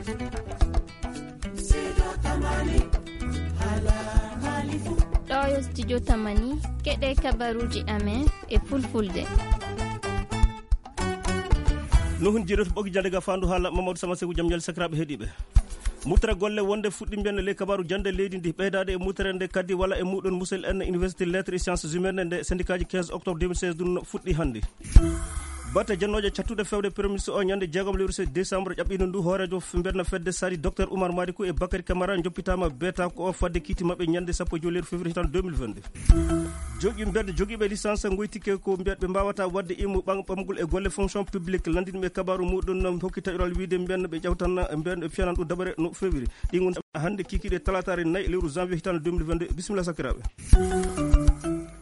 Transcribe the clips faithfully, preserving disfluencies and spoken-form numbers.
Ɗo yo studio Tamani, keɗe kabaruji amen e fulfulde. Nuhun jiiɗo to ɓogi jande ga fandu hala Mamadou Sama Seku, jam ñal sakiraɓe heɗiɓe. Mutere golle wonde fuɗɗi mbiyen ley kabaru jande leydi ndi, ɓeydaɗe e mutere nde kadi wala e muɗon musel en université lettres et sciences humaines nde syndicat ji quinze octobre deux mille seize ɗum fuɗɗi hande. Batte jannooje cattuɗe fewde Premier ministre o ñande jeegom lewru décembre ƴaɓɓino ndu hooreejo f-, mbeɗa fedde sadi Docteur Oumar Madikou e Bakary Camara joppitaama beeta ko o fadde kiiti maɓɓe ñande sappo e joy lewru février hitande deux mille vingt-deux. Jogi mbeɗa jogiiɓe licence ngoytike ko mbeɗa ɓe mbawata wadde immu ɓam-, ɓamgol e golle fonction publique landinɓe kabaru muɗum no hokki taƴoral wiide mbeɗa ɓe ƴawtan mbeɗa ɓe fiyanan ɗum dabare no février. Ɗi ngon hande kikiɗe talatare nayi lewru janvier hitande deux mille vingt-deux. Bisimilla sakiraaɓe.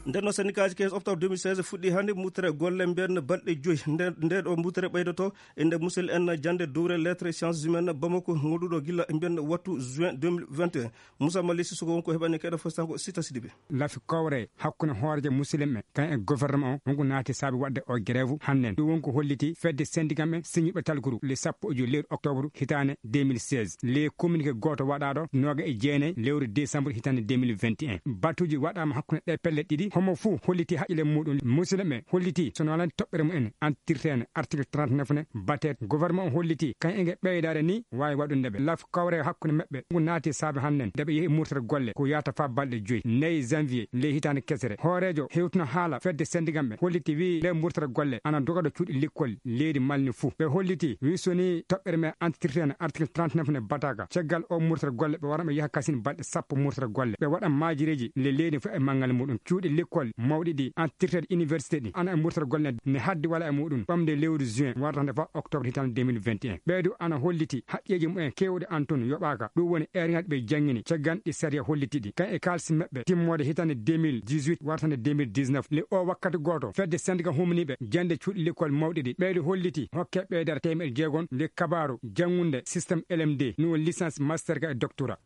Nden no syndicat ji quinze octobre deux mille seize fuɗɗi hannde mutere golle mbiyen balɗe joyi. Nde, nde ɗo mutere ɓeydoto e nde musel en jannde dowre lettres et sciences humaines Bamako, ngoɗuɗo gila mbiyen wattu juin deux mille vingt et un. Moussa Mali Sissoko wonko heɓani keɗo fostan ko Sita Sidibé. Lafi kowre hakkunde hooreejo musulme kan e gouvernement o, wonko naati saabi waɗde o grève hannden. Ɗum wonko holliti fedde syndicat men siñuɓe talkuru le sappo e joy lewru octobre hitaande deux mille seize. Le communiqué gooto waɗaaɗo nooga e jeenayi lewru décembre hitaande deux mille vingt et un. Batuuji waɗaama hakkunde ɗe pelle ɗiɗi. Homo fuu holliti haqqille muɗum. Musidɓe ɓe holliti so no alani toɓɓere mumen antirteene article trente-neuf ne batee. Gouvernement o holliti kan enge ɓeydaade ni waawi waɗunde ɓe. Laf kawre hakkunde maɓɓe ngu naati saabe hannden nde ɓe yehi murtere golle ko yahata faa balɗe joyi. Nayi janvier ley hitaande kesere. Hooreejo hewtuno haala fedde syndicat ɓe holliti wi le murtere golle ana doga ɗo cuuɗi likkol leydi Mali ni fuu. Ɓe holliti wi so ni toɓɓere me antirteene article trente-neuf ne bataaka. Caggal o murtere golle ɓe wara ɓe yaha kasin balɗe sappo murtere golle. Ɓe waɗa maajireeji le leydi fof e manngal muɗum. Cuuɗi likkol mawɗi ɗi antirteeɗi université ɗi ana e murtere golle ne haddi wala e muɗum ɓamde lewru juin warata nde faa octobre hitaande deux mille vingt et un. Ɓeydu ana holliti haqqeeji mumen keewɗi an tun yoɓaaka. Ɗum woni eerŋaaji ɓe janngini caggan ɗi sariya holliti ɗi. Kan e kaalisi maɓɓe timmoode hitaande deux mille dix-huit warata nde deux mille dix-neuf. Le o wakkati gooto fedde syndicat humniiɓe jannde cuuɗi likkol mawɗi ɗi. Ɓeydu holliti hokke ɓeydere teemeɗe jeegom le kabaaru janngunde système L M D, no licence, master ka e doctorat.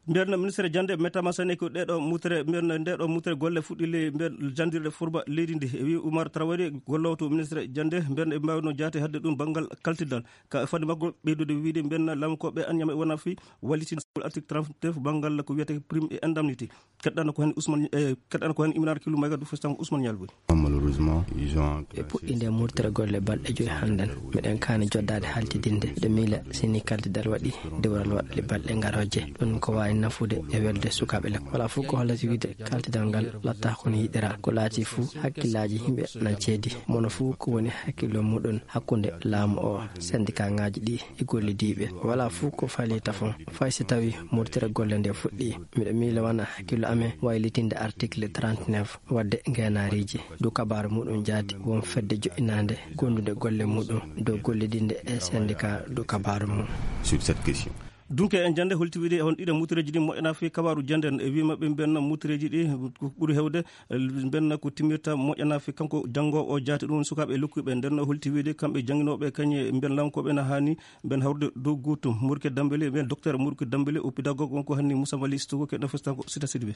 Mbiyen ministre jannde mettama sene ko ɗeɗo mutere, mbiyen ndeɗo mutere golle fuɗɗi le mbiyen janndirde furba leydi ndi. E wi Oumar Traoré gollowo to ministre jannde mbiyen ɓe mbawno jaate hadde ɗum banngal kaltidal. Ka fadi makko ɓeydude wiide mbiyen lamkoɓe an ñama e wona fi walliti article trente-neuf banngal ko wiyete prime et indemnité. Keɗɗano ko hen Ousmane, eh, keɗɗano ko hen Imran Kilu Mayga du festan Ousmane Ñalboy. Malheureusement, ils ont ɓe puɗɗinde murtere golle balɗe joyi hannden. Miɗen kaani joddaade haltidinde. Miɗo miila sini kaltidal waɗi dewral waɗde balɗe ngarooje. Ɗum ko waawi nafude e welde sukaaɓe le. Wala fof ko hollata wiide kaltidal ngal latta ko no yiɗira. Ko laati fof hakkillaaji yimɓe nan ceedi. Mono fof ko woni hakkillo muɗum hakkunde laamu o, syndicat ŋaaji ɗi e gollidiiɓe. Wala fof ko fali tafon. Fay si tawi murtere golle nde fuɗɗi. Miɗo miila wona hakkillo amen waylitinde article trente-neuf. Wadde ngeenaariiji du kabaaru muɗum jaati won fedde joɗɗinaande gondude golle muɗum dow gollidinde e syndicat du kabaaru mum. Sur cette question. Dunke en jannde holti wiide on ɗiɗo mutereeji ɗi moƴƴana fi kabaaru jannde en e wi maɓɓe mbenna mutereeji ɗi ko ɓuri hewde mbenna ko timirta moƴƴana fi kanko janngoowo o jaati ɗum sukaaɓe e lokkuɓe nden no holti wiide kamɓe jannginooɓe kañe mben lamkoɓe na haani mben hawrude dow gootum. Murke Dambele mben docteur Murke Dambele o pédagogue wonko hanni Moussa Mali Sitogo keɗɗo festan ko Sita Sidibé.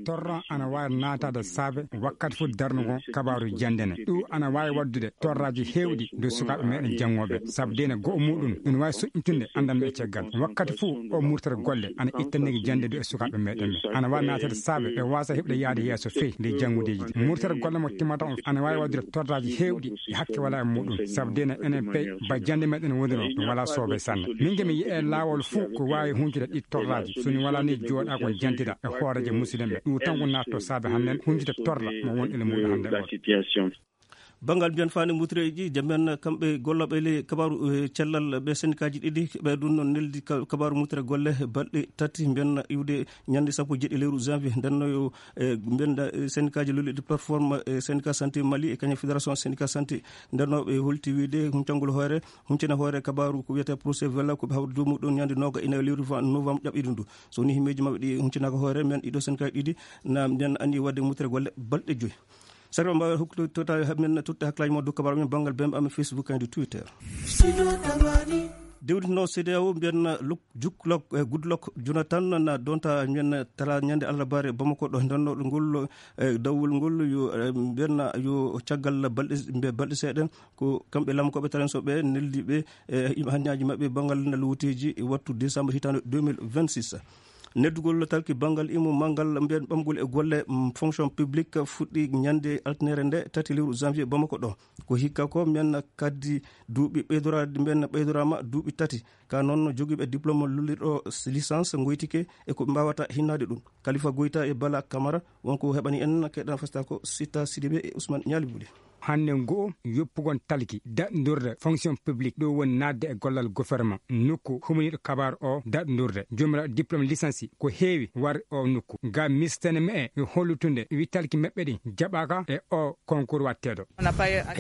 Torra ana waawi naataade saabe wakkati fof darnugol kabaaru jannde ne. Ɗum ana waawi waɗdude torraaji heewɗi dow sukaaɓe meɗen janngooɓe, sabu deena go'o muɗum ina waawi soƴƴitunde anndal men e caggal. Wakkati fof o murtere golle ana ittanigi jannde dow e sukaaɓe meɗen ɓe. Ana waawi naataade saabe ɓe waasa heɓde yaade yeeso feyi nde janngudeeji ɗi. Murtere golle mo timmata on ana waawi waɗdude torraaji heewɗi e hakke wala e muɗum, sabu deena enen pey ba jannde meɗen woniri o ɗum wala soobe sanne. Min nge mi yi'e laawol fof ko waawi huncude ɗi torraaji. So ni wala ni jooɗa kon jantida e hooreejo musidɗen ɓe. Ɗum tan ko naatto saabe hannden huncude torra mo won ele muɗum hannde o. Banngal mbiyen faani mutereeji, jamen kamɓe gollooɓe ley kabaaru, eh, cellal ɓe sendikaaji ɗiɗi, ɓe ɗum noon neldi ka-, kabaaru mutere golle balɗe tati mbiyen iwde ñande sappo e jeeɗi lewru janvier. Nden no yo, eh, mbiyen da, eh, sendikaaji lolluɗi plateforme, eh, syndicat santé Mali e kañum fédération syndicat santé. Nden no ɓe holti wiide huncangol hoore, huncina hoore kabaaru ko wiyete procès vela ko ɓe hawri dow muɗum ñande nooga ina lewru fa-, novembre ƴaɓɓiɗum ndu. So ni himmeeji maɓɓe ɗi huncinaaka hoore, men ɗiɗo sendikaaji ɗiɗi na mbiyen anndi waɗde mutere golle balɗe joyi. Sarwa mbawa hokkude tota men totta hakkilaaji mo dow kabaaru men banngal bembe amen Facebook and Twitter. Dewditnoowo C D A O mbiyen Luk-, Juklok, eh, Goodluck Jonathan na donta mbiyen tala ñande alarbaare Bamako ɗo, ndennooɗo ngol, eh, dawol ngol yo, eh, mbiyen yo caggal balɗe, mbe-, balɗe seeɗa. Ko kamɓe lamkooɓe taranso ɓe neldi ɓe, eh, hannjaaji maɓɓe banngal nalwuteeji e wattu décembre hitaande deux mille vingt-six. Neddugol talki banngal immo manngal mbiyen ɓamgol e golle, mm, fonction publique fuɗɗi ñande altine nde tati lewru janvier Bamako ɗo. Ko hikka ko mbiyen kaddi duuɓi ɓeydoraade, mbiyen ɓeydoraama duuɓi tati. Ka noon jogiiɓe diplôme lullirɗo licence ngoytike e ko ɓe mbaawata hinnaade ɗum. Khalifa Goyta e Bala Camara wonko heɓani en keɗan fasta ko Sita Sidibe e Ousmane Ñaali Buli. Hannde ngo yoppugol talki daɗndurde fonction publique ɗo woni naatde e gollal gouvernement nokku humaniiɗo kabaar o daɗndurde. Jomiraɗo diplôme licence ko heewi war o nokku. Ga mistene me e hollutunde wi talki meɓɓe ɗi jaɓaka e o concours watteeɗo. A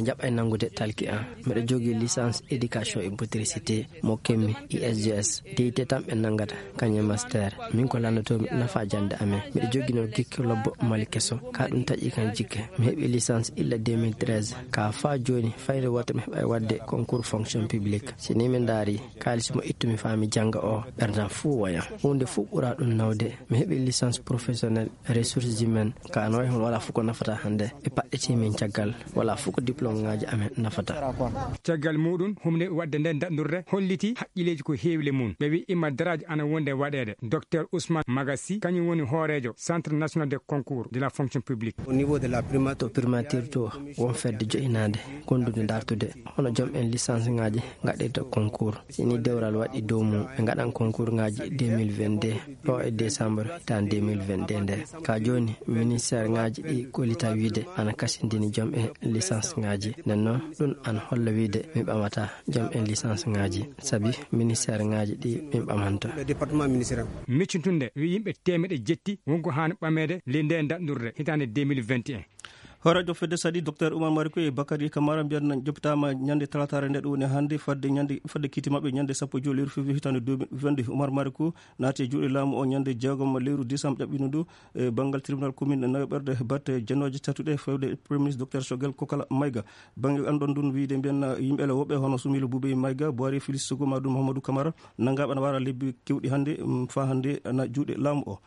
jaɓa e nanngude talki an. Mbeɗa jogii licence éducation et motricité mo kemmi I S G S. Deyte tan ɓe nanngata, kañum e master. Min ko lanndotoomi nafa jannde amen. Mbeɗa jogii noon gikke lobbo Mali keso. Ka ɗum taƴi kan jikke. Mi heɓi licence illa deux mille treize. Ka faa jooni, fayre wootere mi heɓa e waɗde concours fonction publique. Si ni mi ndaari, kaalis mo ittumi faa mi jannga o, ɓerdam fuu woya. Huunde fuu ɓura ɗum nawde. Mi heɓi licence professionnelle ressources humaines. Ka no wayi hono wala fof ko nafata hannde. Ɓe paɗɗiti min caggal. Wala fof ko diplôme ŋaaji amen nafata. Caggal muɗum, humde waɗde nden daɗndurde holliti haqqilleeji ko heewi le mum. Ɓe wi imma daraaji ana wonde waɗeede. Docteur Ousmane Magassi, kañum woni hooreejo Centre National de Concours de la Fonction Publique. Au niveau de la primature. To primature to, won fedde joyinaande gondude dartude hono joom en licence ŋaaji ngaɗirta concours. Si ni dewral waɗi dow mum, ɓe ngaɗan concours ŋaaji deux mille vingt-deux ɗo e décembre tan deux mille vingt-deux nde. Ka jooni, ministère ŋaaji ɗi kollita wiide ana kasindini joom en licence ŋaaji. Nden noon, ɗum ana holla wiide mi ɓamata joom en licence ŋaaji, sabi ministère ŋaaji ɗi min ɓamanta. Le département ministériel. Miccintunde wi yimɓe teemeɗe jetti wonko haani ɓameede le nde daɗndurde hitaande deux mille vingt et un. Hooreejo fedde saɗi, Docteur Oumar Mariko e Bakary Camara mbiyan joppitaama ñande talataare nde ɗo woni hannde fadde ñande, fadde kiiti maɓɓe ñande sappo e joy lewru février hitaande deux mille vingt-deux. Oumar Mariko naati e juuɗe laamu o ñande jeegom lewru décembre ƴaɓɓino ndu e banngal tribunal commune nayoɓerde batte janooje tatuɗe fewde Premier ministre Docteur Choguel Kokala Maïga. Bannge anndon ndun wiide mbiyan yimɓe ele woɓɓe hono Soumilou Boubèye Maïga, Boiré Félix Sogo, Mamadou Mouhamadou Camara, nanngaɓe ana wara lebbi kewɗi hannde, mm, faa hannde ana juuɗe laamu o.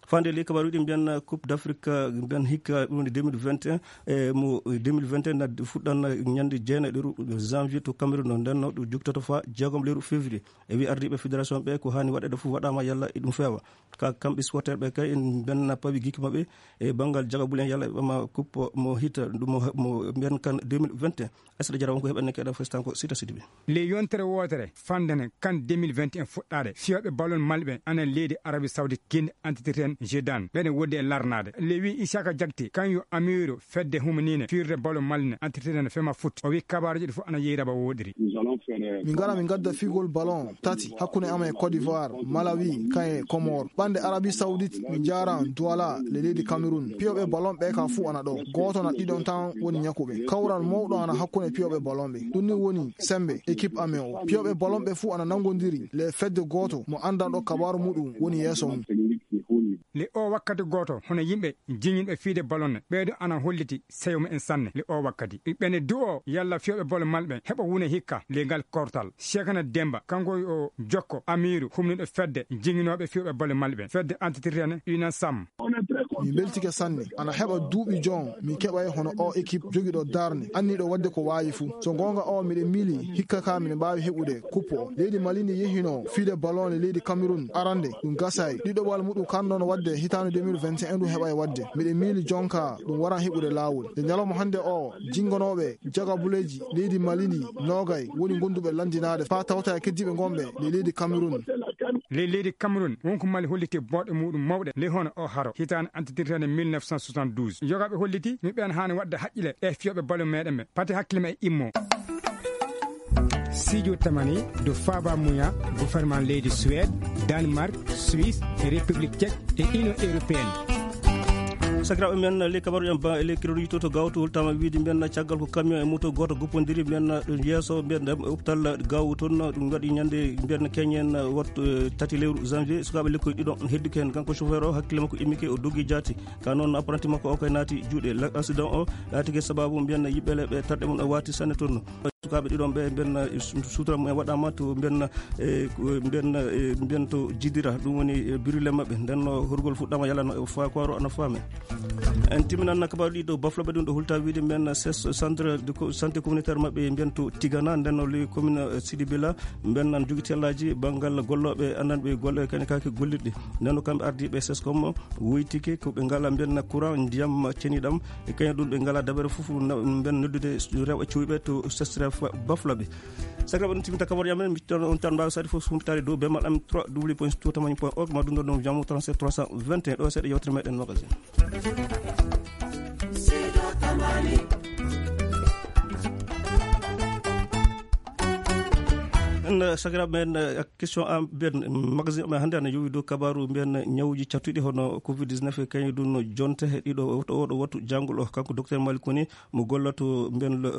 Fande ley kabaruuji ɗi mbiyan Coupe d'Afrique, mbiyan hikka ɗum woni deux mille vingt et un, e mo deux mille vingt et un na fuɗɗan ñande jeenayi lewru janvier to Cameroun, no ndenno ɗum joktoto faa jeegom lewru février. E wi ardiiɓe fédération ɓe ko haani waɗeede fof waɗaama yalla e ɗum feewa. Ka kamɓe supporter ɓe kay en mbiyan na pawi gikki maɓɓe e banngal jagabule en yalla e ɓama coupe mo hita ɗum mo, mo mbiyan kan deux mille vingt et un. Asda Jara wonko heɓen nekke ɗo festan ko Sita Sidibe. Le yontere wootere fandene kan deux mille vingt et un fuɗɗaade, fiyooɓe ballon malɓe ana leydi Arabie Saoudite, kindi entretien Jeddah, ɓeɗe wodde e larnaade. Le wi Isaka Jakte, kan yo amiiru fedde humanine firde ballon malne entretien fema foot. O wi kabaaruji ɗi fof ana yeeyi raba woɗiri. Min ngara min ngadda figol ballon tati hakkunde amen e Côte d'Ivoire, Malawi, kan e Comores. Ɓande Arabie Saoudite, min njaran Douala, le leydi Cameroun. Piyooɓe ballon ɓe ka fuu ana ɗo. Gooto na ɗiɗon tan woni ñakuɓe. Kawral mawɗo ana hakkunde piyooɓe ballon ɓe. Ɗum ni woni sembe équipe amen o. Piyooɓe ballon ɓe fuu ana nangondiri le fedde gooto mo anndanɗo kabaaru muɗum woni yeeso mum. Le o wakkati gooto, hono yimɓe jiñinɓe fiide ballon ne, ɓeeɗo ana holliti seyo mumen sanne. Le o wakkati, ɓene du'o yalla fiyooɓe ballon malɓe heɓa wune hikka le ngal kortal. Cheikhna Demba, kanko o jokko amiiru humnuɗo fedde jiñinooɓe fiyooɓe ballon malɓe, fedde entretien Unasam. Mi mbeltike sanne. Ana heɓa duuɓi jon, mi keɓay hono o équipe jogiiɗo darnde, anniiɗo waɗde ko waawi fuu. So goonga o, miɗe miili hikka ka miɗe mbaawi heɓude coupe o. Leydi Mali ndi yehinoo fiide ballon e leydi Cameroun arande, ɗum gasay. Ɗiɗoɓal muɗum kan noon waɗde hitaande deux mille vingt et un ɗum heɓay waɗde. Miɗe miili jonka ɗum waran heɓude laawol. E ñalawma hannde o, jingonooɓe jagabuleeji leydi Mali ndi noogay woni gonduɓe lanndinaade faa tawta e keddiiɓe ngonɓe ley leydi Cameroun. Ley leydi Cameroun, wonko Mali holliti booɗe muɗum mawɗe ley hono o haro hitaande antitirteende mille neuf cent soixante-douze. Yogaaɓe holliti mi ɓeen haani waɗde haqqile e fiyooɓe ballon meɗen ɓe. Pate hakkille ma e immo. Sijo tamani do Faba Muya, gouvernement leydi Suède, Danemark, Suisse, e République Tchèque e Union Européenne. Sakiraaɓe men, ley kabaruɗen ba, ley kiroɗo yittoto gawtowol tama wiide mbiyen caggal ko camion e moto gooto goppondiri mbiyen ɗum yeeso mbiyen ɗum e hôpital Gaawo toon. Ɗum waɗi ñande mbiyen keñen wattu, eh, tati lewru janvier. Sukaaɓe lekkoy ɗiɗo hedduki heen. Kanko chauffeur o hakkille makko immike o doggi jaati. Ka noon apprenti makko o kay naati juuɗe. La-, accident o laatike sababu mbiyen yimɓe le ɓe tarɗe mum o waati sanne toon. Sukaaɓe ɗiɗon ɓe, mbiyen, eh, su-, suutura mumen waɗaama to mbiyen, eh, ko mbiyen, eh, mbiyen to Jidira, ɗum woni, eh, birule maɓɓe. Nden no horgol fuɗɗaama yalla no fa-, ko waro ana faame. En timminan kabaruuji ɗi ɗo Bafulaɓe ɗum ɗo hulta wiide mbiyen ses-, centre de co-, santé communautaire maɓɓe mbiyen to Tigana, nden no le commune, eh, Sidibila, mbiyen nan jogi tellaaji banngal gollooɓe annan ɓe golle kane kake gollirɗe. Nden no kamɓe ardiiɓe sescom woytike ko ɓe ngala mbiyen courant, ndiyam ceniɗam, e kañum ɗum ɓe ngala dabere fof na-, mbiyen noddude rewɓe cuuɓe to sesref Bafulaɓe. Sakiraɓe, ɗum timmita kabaruuji amen, mi tan on tan mbaawi sadi fof sumpitaade dow bemal am trois w point tour tamani point org, ma ɗum ɗo ɗum jamo trente-sept trois cent vingt et un. Ɗo seeɗa yewtere meɗen magazine. En, eh, sakiraaɓe men, eh, question am ben magazine men hannde ana yowi dow kabaaru mbiyen ñawuuji cattuɗi hono covid dix-neuf e kañum ɗum no jonte ɗiɗo oɗo wattu janngol o. Kanko docteur Malik Koni mo gollato mbiyen le,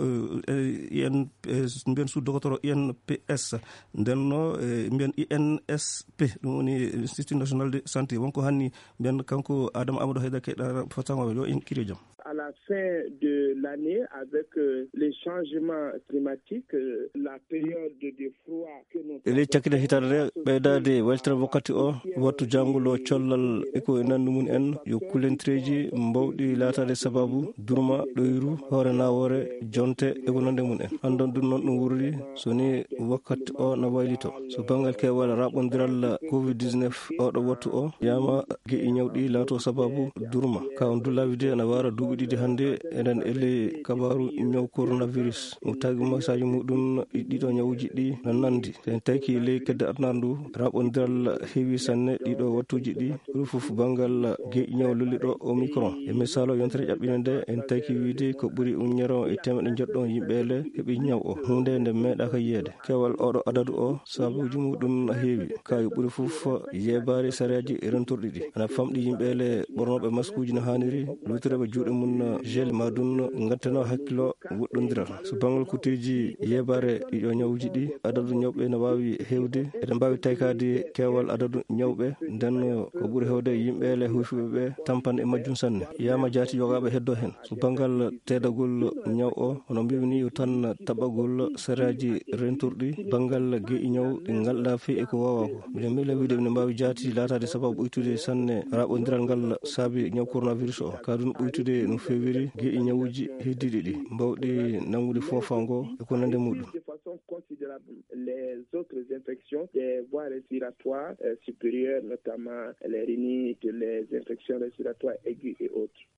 eh, I N P S, mbiyen sous docteur I N P S. Nden no, eh, mbiyen I N S P, ɗum woni Institut National de Santé. Wonko hanni mbiyen kanko Adama Amadou Haydara keɗa fatango yo en kiri jam. À la fin de l'année, avec, euh, les changements climatiques, euh, la période de froid que nous E ley cakkite hitaande nde, ɓeydaade weltere wakkati o, wattu janngol o, collal e ko e nanndi mum en, yo kulentereeji mbawɗi laataade sababu durma, ɗoyru, hoore nawoore, jonte e ko nanndi mum en. Anndon ɗum noon ɗum wurri, so ni wakkati o na waylito. So banngal keewal raɓondiral covid dix-neuf oɗo wattu o, yama geƴi ñawɗi laato sababu durma. Ka on dullawi de ana wara duuɓi ɗiɗi hannde, eɗen e ley kabaaru ñaw coronavirus. Mo tagi masaaji muɗum ɗiɗo ñawuji ɗi na nandi. So en tawki ley kedde aduna ndu, raɓondiral heewi sanne ɗiɗo wattuji ɗi, ɓuri fof banngal geƴi ñaw lolliɗo Omicron. E misal o yontere ƴaɓɓinde nde, en tawki wiide ko ɓuri uññere e teemeɗe njeɗɗo yimɓe ele heɓi ñaw o. Huunde nde meeɗaaka yiyeede. Keewal oɗo adadu o, sababuji muɗum na heewi. Ka yo ɓuri fof yeebaare sariyaaji rentorɗi ɗi. Ana famɗi yimɓe ele ɓornooɓe maskuuji no haaniri, luutireeɓe juuɗe mum gel ma ɗum ngattano hakkilo woɗɗondiral. So banngal kutteeji yeebaare ɗiɗo ñawuji ɗi, adadu ñawɓe no waawi heewde. Eɗen mbaawi taykaade keewal adadu ñawɓe, nden ko ɓuri heewde yimɓe ele huufiɓe ɓe tampan e majjum sanne. Yama jaati yogaaɓe heddo heen. So banngal teedagol ñaw o, hono mbiimi ni, yo tan taɓagol sariyaaji rentorɗi banngal geƴi ñaw ɗi ngalɗa fii e ko waawaa ko. Mbiɗen miila wiide mine mbaawi jaati laataade sababu ɓuytude sanne raɓondiral ngal saabi ñaw coronavirus o. Ka ɗum ɓuytude no feewiri geƴi ñawuji heddiiɗi ɗi mbawɗi nanngude foofa ngo e ko nande muɗum. De façon considérable les autres infections des voies respiratoires, euh, supérieures, notamment les rhinites, les infections respiratoires aiguës et autres.